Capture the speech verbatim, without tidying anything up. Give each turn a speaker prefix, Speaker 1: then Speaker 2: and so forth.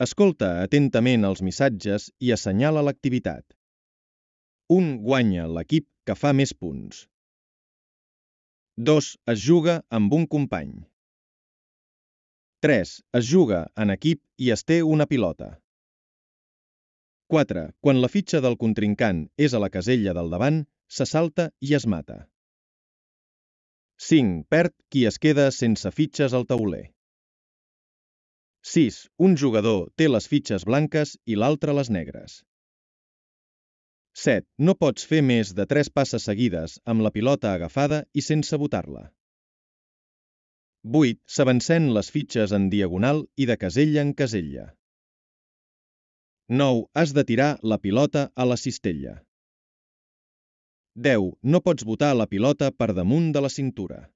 Speaker 1: Escolta atentament els missatges i assenyala l'activitat. un Guanya l'equip que fa més punts. dos Es juga amb un company. tres Es juga en equip i es té una pilota. quatre Quan la fitxa del contrincant és a la casella del davant, se salta i es mata. cinc Perd qui es queda sense fitxes al tauler. sis Un jugador té les fitxes blanques i l'altre les negres. set No pots fer més de tres passes seguides amb la pilota agafada i sense botar-la. vuit S'avancen les fitxes en diagonal i de casella en casella. nou Has de tirar la pilota a la cistella. deu No pots botar la pilota per damunt de la cintura.